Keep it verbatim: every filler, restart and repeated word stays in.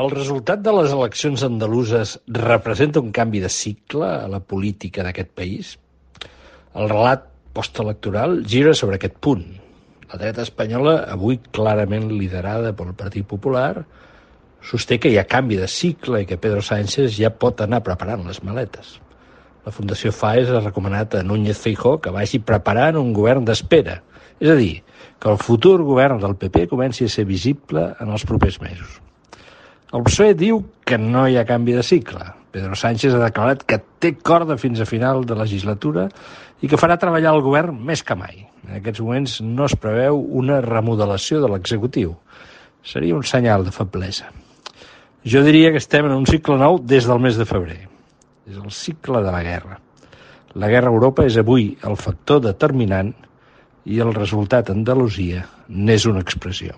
El resultat de les eleccions andaluses representa un canvi de cicle a la política d'aquest país? El relat postelectoral gira sobre aquest punt. La dreta espanyola, avui clarament liderada pel Partit Popular, sosté que hi ha canvi de cicle i que Pedro Sánchez ja pot anar preparant les maletes. La Fundació FAES ha recomanat a Núñez Feijóo que vagi preparant un govern d'espera, és a dir, que el futur govern del P P comenci a ser visible en els propers mesos. El P S O E diu que no hi ha canvi de cicle. Pedro Sánchez ha declarat que té corda fins a final de legislatura i que farà treballar el govern més que mai. En aquests moments no es preveu una remodelació de l'executiu. Seria un senyal de feblesa. Jo diria que estem en un cicle nou des del mes de febrer. És el cicle de la guerra. La guerra a Europa és avui el factor determinant i el resultat a Andalusia n'és una expressió.